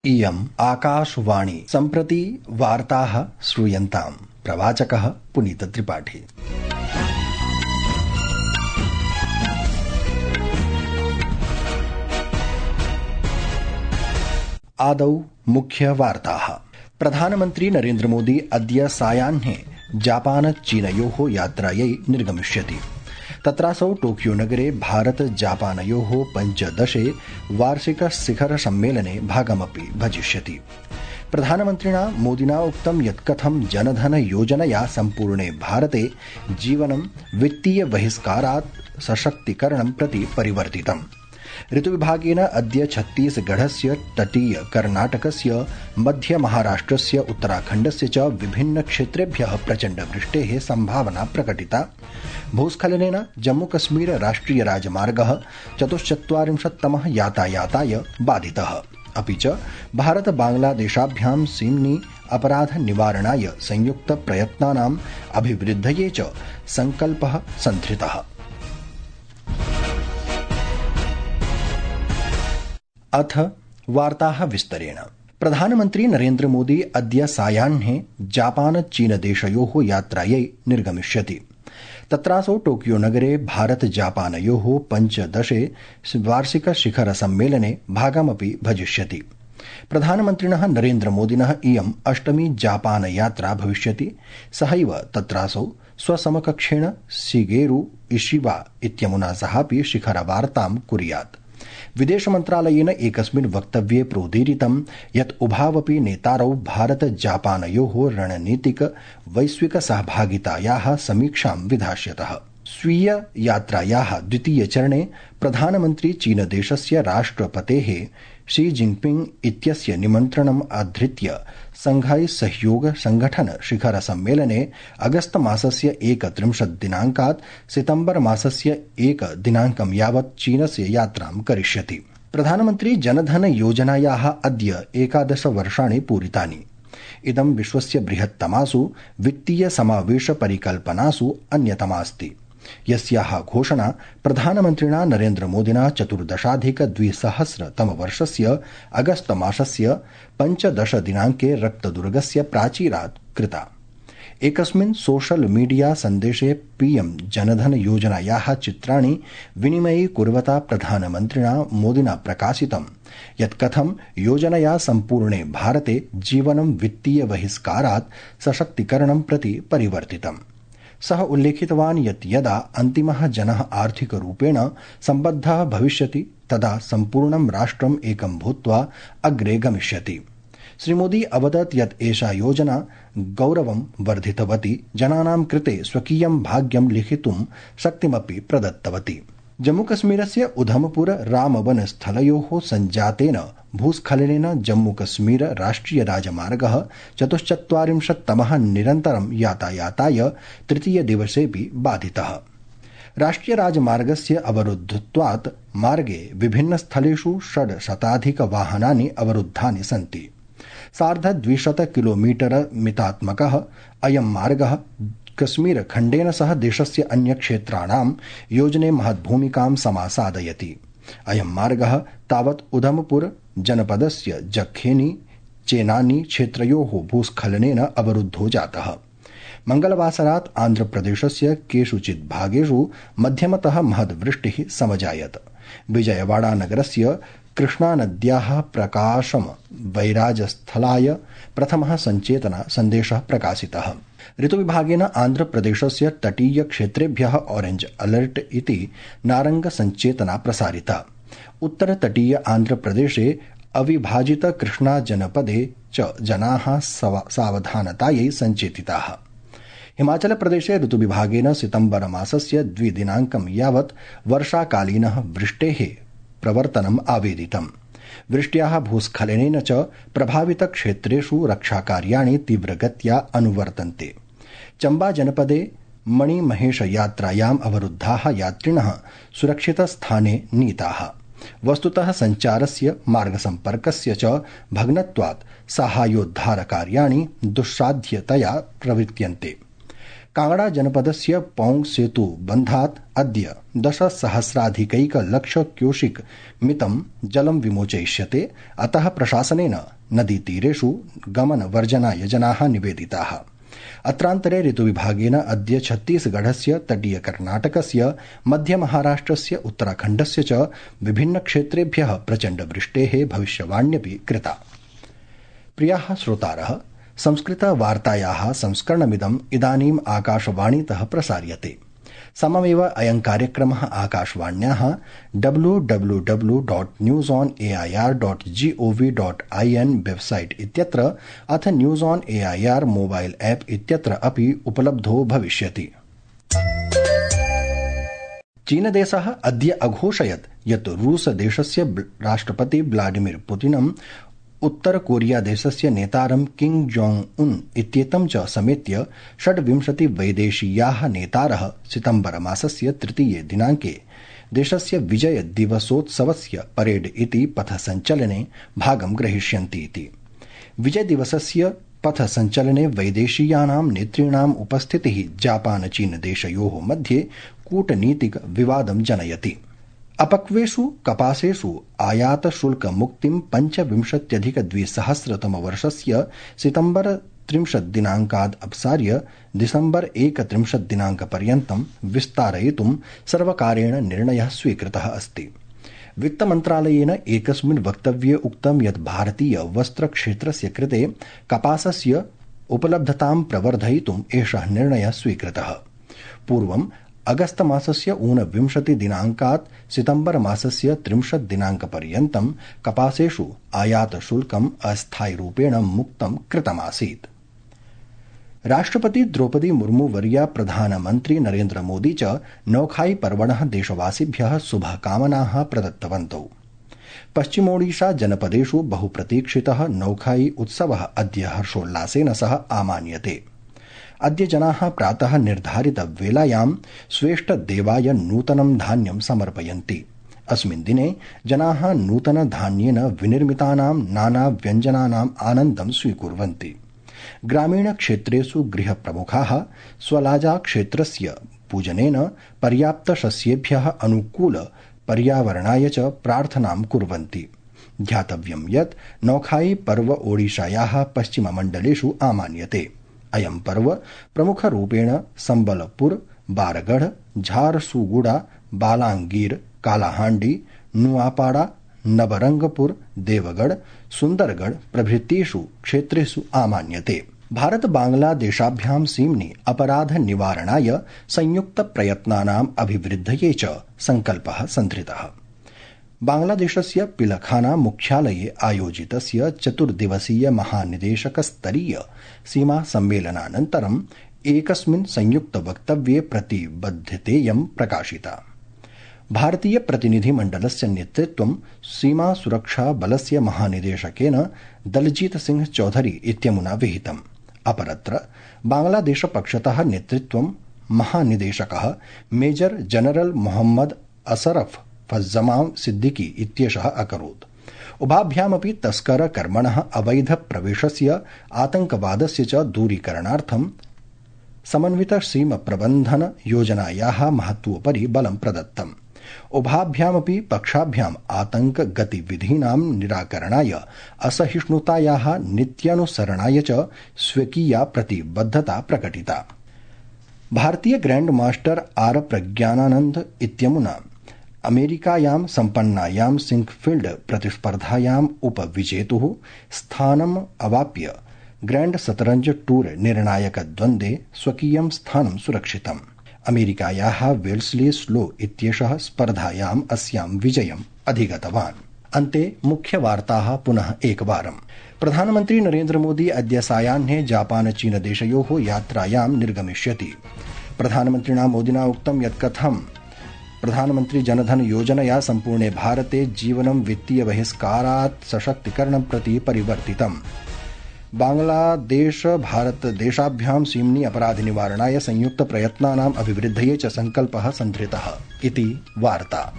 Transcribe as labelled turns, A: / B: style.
A: इयम् आकाशवाणी सम्प्रति वार्ताः श्रूयन्ताम्। प्रवाचकः पुनीतत्रिपाठी। आदौ मुख्यवार्ताः। प्रधानमन्त्री नरेन्द्र मोदी अद्य सायाह्ने जापान चीनयोः यात्रायै निर्गमिष्यति। तत्रासौ टोकियो नगरे भारत जापानयोः 15 वार्षिक शिखर सम्मेलने भागमपि भजिष्यति। प्रधानमन्त्रिणा मोदिना उक्तं यत् कथं जनधन योजनया सम्पूर्णे भारते जीवनं वित्तीय बहिष्कारात् सशक्तीकरणं प्रति परिवर्तितम्। ऋतुविभागेन अद्य छत्तीसगढ़स्य तटीय कर्णाटकस्य मध्य महाराष्ट्रस्य उत्तराखण्डस्य च विभिन्न क्षेत्रेभ्यः प्रचण्ड वृष्टेः सम्भावना प्रकटिता। भूस्खलनेन जम्मूकश्मीर राष्ट्रिय राजमार्गः 44तमः यातायाताय बाधितः। अपि च भारत बांग्लादेशाभ्यां सीम्नि अपराध निवारणाय संयुक्त प्रयत्नानाम् अभिवृद्धये च संकल्पः संधृतः। अथ वार्ताः विस्तरेण। प्रधानमन्त्री नरेन्द्र मोदी अद्य सायाह्ने जापान चीन देशयोः यात्रायै निर्गमिष्यति। तत्रासौ टोकियो नगरे भारत जापानयोः 15 वार्षिक शिखर सम्मेलने भागमपि भजिष्यति। प्रधानमन्त्रिणः नरेन्द्र मोदिनः इयम् 8मी जापान यात्रा भविष्यति। सहैव तत्रासौ स्वसमकक्षेण शिगेरु इशिबा इत्यमुना सहापि शिखरवार्तां कुर्यात्। विदेश मन्त्रालयेन एकस्मिन् वक्तव्ये प्रोदीरितं यत् उभावपि नेतारौ भारत जापानयोः रणनीतिक वैश्विक सहभागितायाः समीक्षां विधास्यतः। स्वीय यात्रायाः द्वितीय चरणे प्रधानमन्त्री चीन देशस्य राष्ट्रपतेः शी जिनपिंग इत्यस्य निमन्त्रणम् आधृत्य शंघाई सहयोग संगठन शिखर सम्मेलने अगस्त मासस्य 31 दिनाङ्कात् सितम्बर मासस्य 1 दिनाङ्कं यावत् चीनस्य यात्रां करिष्यति। प्रधानमन्त्री जनधन योजनायाः अद्य 11 वर्षाणि पूरितानि। इदं विश्वस्य बृहत्तमासु वित्तीय समावेश परिकल्पनासु अन्यतमास्ति, यस्याः घोषणा प्रधानमन्त्रिणा नरेन्द्र मोदिना 2014-तमवर्षस्य अगस्त मासस्य 15 दिनाङ्के रक्तदुर्गस्य प्राचीरात् कृता। एकस्मिन् सोशल मीडिया सन्देशे पीएम जनधन योजनायाः चित्राणि विनिमये कुर्वता प्रधानमन्त्रिणा मोदिना प्रकाशितं यत् कथं योजनया सम्पूर्णे भारते जीवनं वित्तीय बहिष्कारात् सशक्तीकरणं प्रति परिवर्तितम्। सः उल्लेखितवान् यत् यदा अन्तिमः जनः आर्थिकरूपेण सम्बद्धः भविष्यति तदा सम्पूर्णं राष्ट्रम् एकं भूत्वा अग्रे गमिष्यति। श्रीमोदी अवदत् यत् एषा योजना गौरवं वर्धितवती, जनानां कृते स्वकीयं भाग्यं लिखितुं शक्तिमपि प्रदत्तवती। जम्मूकश्मीरस्य उधमपुर रामबन स्थलयोः सञ्जातेन भूस्खलनेन जम्मूकश्मीर राष्ट्रिय राजमार्गः 44तमः निरन्तरं यातायाताय तृतीय दिवसेऽपि बाधितः। राष्ट्रिय राजमार्गस्य अवरुद्धत्वात् मार्गे विभिन्न स्थलेषु 600 वाहनानि अवरुद्धानि सन्ति। 250 किलोमीटर मितात्मकः अयं मार्गः कश्मीर खण्डेन सह देशस्य अन्यक्षेत्राणां योजने महद्भूमिकां समासादयति। अयं मार्गः तावत् उधमपुर जनपदस्य जखेनी चेनानी क्षेत्रयोः भूस्खलनेन अवरुद्धो जातः। मंगलवासरात् आन्ध्रप्रदेशस्य केषुचित् भागेषु मध्यमतः महद्वृष्टिः समजायत। विजयवाड़ा नगरस्य कृष्णानद्याः प्रकाशम वैराजस्थलाय प्रथमः सञ्चेतना सन्देशः प्रकाशितः। ऋतुविभागेन आन्ध्रप्रदेशस्य तटीय क्षेत्रेभ्यः ऑरेंज अलर्ट इति नारंग सञ्चेतना प्रसारिता। उत्तर तटीय आन्ध्रप्रदेशे अविभाजित कृष्णा जनपदे च जनाः सावधानतायै सञ्चेतिताः। हिमाचल प्रदेशे ऋतुविभागेन सितम्बर मासस्य 2 दिनाङ्कं यावत् वर्षाकालीनः वृष्टेः प्रवर्तनम् आवेदितम्। वृष्ट्याः भूस्खलनेन च प्रभावित क्षेत्रेषु रक्षाकार्याणि तीव्रगत्या अनुवर्तन्ते। चम्बा जनपदे मणिमहेश यात्रायाम् अवरुद्धाः यात्रिणः सुरक्षितस्थाने नीताः। वस्तुतः सञ्चारस्य मार्गसम्पर्कस्य च भग्नत्वात् साहाय्योद्धारकार्याणि दुस्साध्यतया प्रवर्त्यन्ते। कांगड़ा जनपदस्य पौंग सेतु बन्धात् अद्य 10,000,000 क्यूसिक मितं जलं विमोचयिष्यते। अतः प्रशासनेन नदीतीरेषु गमनवर्जनाय जनाः निवेदिताः। अत्रान्तरे ऋतुविभागेन अद्य छत्तीसगढ़स्य तटीय कर्णाटकस्य मध्य महाराष्ट्रस्य उत्तराखण्डस्य च विभिन्नक्षेत्रेभ्यः प्रचण्डवृष्टेः भविष्यवाण्यपि कृता। प्रियाः श्रोतारः, संस्कृतवार्तायाः संस्करणमिदम् इदानीम् आकाशवाणीतः प्रसार्यते। सममेव अयं कार्यक्रमः आकाशवाण्याः www.newsonair.gov.in वेबसाइट इत्यत्र अथ news on AIR mobile app इत्यत्र अपि उपलब्धो भविष्यति। चीनदेशः अद्य अघोषयत् यत् रूसदेशस्य राष्ट्रपति व्लादिमीर पुतिनम् उत्तर कोरिया देशस्य नेतारं किम जोंग उन इत्येतं च समेत्य 26 वैदेशीयाः नेतारः सितम्बर मासस्य 3 दिनाङ्के देशस्य विजय दिवसोत्सवस्य परेड इति पथसञ्चलने भागं ग्रहीष्यन्ति इति। विजय दिवसस्य पथसञ्चलने वैदेशीयानां नेतॄणाम् उपस्थितिः जापान चीन देशयोः मध्ये कूटनीतिक विवादं जनयति। अपक्वेषु कपासेषु आयात शुल्क मुक्तिं 25,2000 सितम्बर 30 दिनाङ्काद् अपसार्य दिसम्बर 31 दिनाङ्कपर्यन्तं विस्तारयितुं सर्वकारेण निर्णयः स्वीकृतः अस्ति। वित्तमन्त्रालयेन एकस्मिन् वक्तव्ये उक्तं यत् भारतीय वस्त्रक्षेत्रस्य कृते कपासस्य उपलब्धतां प्रवर्धयितुम् एषः निर्णयः स्वीकृतः। पूर्वम् अगस्त मासस्य 29 दिनाङ्कात् सितम्बर मासस्य 30 दिनाङ्कपर्यन्तं कपासेषु आयात शुल्कम् अस्थायिरूपेण मुक्तं कृतमासीत्। राष्ट्रपति द्रौपदी मुर्मू वर्या प्रधानमन्त्री नरेन्द्र मोदी च नौखाई पर्वणः देशवासिभ्यः शुभकामनाः प्रदत्तवन्तौ। पश्चिमोडिशा जनपदेषु बहुप्रतीक्षितः नौखाई उत्सवः अद्य हर्षोल्लासेन सह आमान्यते। अद्य जनाः प्रातः निर्धारितवेलायां स्वेष्टदेवाय नूतनं धान्यं समर्पयन्ति। अस्मिन् दिने जनाः नूतनधान्येन विनिर्मितानां नानाव्यञ्जनानाम् आनन्दं स्वीकुर्वन्ति। ग्रामीणक्षेत्रेषु गृहप्रमुखाः स्वलाजाक्षेत्रस्य पूजनेन पर्याप्तशस्येभ्यः अनुकूल पर्यावरणाय च प्रार्थनां कुर्वन्ति। ध्यातव्यं यत् नौखाई पर्व ओडिशायाः पश्चिममण्डलेषु आमान्यते। अयं पर्व प्रमुखरूपेण संबलपुर, बारगढ़, झारसुगुड़ा, बालांगीर, कालाहांडी, नुआपाड़ा, नवरंगपुर, देवगढ़, सुंदरगढ़ प्रभृतिषु क्षेत्रेषु आमान्यते। भारत बांग्लादेशाभ्यां सीम्नि अपराध निवारणाय संयुक्त प्रयत्नानाम् अभिवृद्धये च संकल्पः संधृतः। बांग्लादेशस्य पिलखाना मुख्यालये आयोजितस्य 4 दिवसीय महानिदेशकस्तरीय सीमा सम्मेलनानन्तरम् एकस्मिन् संयुक्त वक्तव्ये प्रतिबद्धतेयं प्रकाशिता। भारतीय प्रतिनिधिमण्डलस्य नेतृत्वं सीमा सुरक्षा बलस्य महानिदेशकेन दलजीत सिंह चौधरी इत्यमुना विहितम्। अपरत्र बांग्लादेश पक्षतः नेतृत्वं महानिदेशकः मेजर जनरल मोहम्मद असरफ फज्जमां सिद्दीकी इत्येषः अकरोत्। उभाभ्यामपि तस्करकर्मणः अवैध प्रवेशस्य आतङ्कवादस्य च दूरीकरणार्थं समन्वित सीम प्रबन्धन योजनायाः महत्वोपरि बलं प्रदत्तम्। उभाभ्यामपि पक्षाभ्याम् आतङ्क गतिविधीनां निराकरणाय असहिष्णुतायाः नीत्यनुसरणाय च स्वकीया प्रतिबद्धता प्रकटिता। भारतीय ग्रैंड मास्टर आर प्रज्ञानानंद इत्यमुना अमेरिकायां सम्पन्नायां सिंकफील्ड प्रतिस्पर्धायाम् उपविजेतुः स्थानम् अवाप्य ग्रैंड शतरंज टूर निर्णायकद्वन्द्वे स्वकीयं स्थानं सुरक्षितम्। अमेरिकायाः वेल्स्ली स्लो इत्येषः स्पर्धायाम् अस्यां विजयम् अधिगतवान्। अन्ते मुख्यवार्ताः पुनः एकवारम्। प्रधानमन्त्री नरेन्द्र मोदी अद्य सायाह्ने जापान चीन देशयोः यात्रायां निर्गमिष्यति। प्रधानमन्त्रिणा मोदिना उक्तं यत् कथं प्रधानमन्त्री जनधन योजनया सम्पूर्णे भारते जीवनं वित्तीय बहिष्कारात् सशक्तीकरणं प्रति परिवर्तितम्। बांग्लादेश भारत देशाभ्यां सीम्नि अपराध निवारणाय संयुक्त प्रयत्नानाम् अभिवृद्धये च संकल्पः संधृतः इति वार्ता।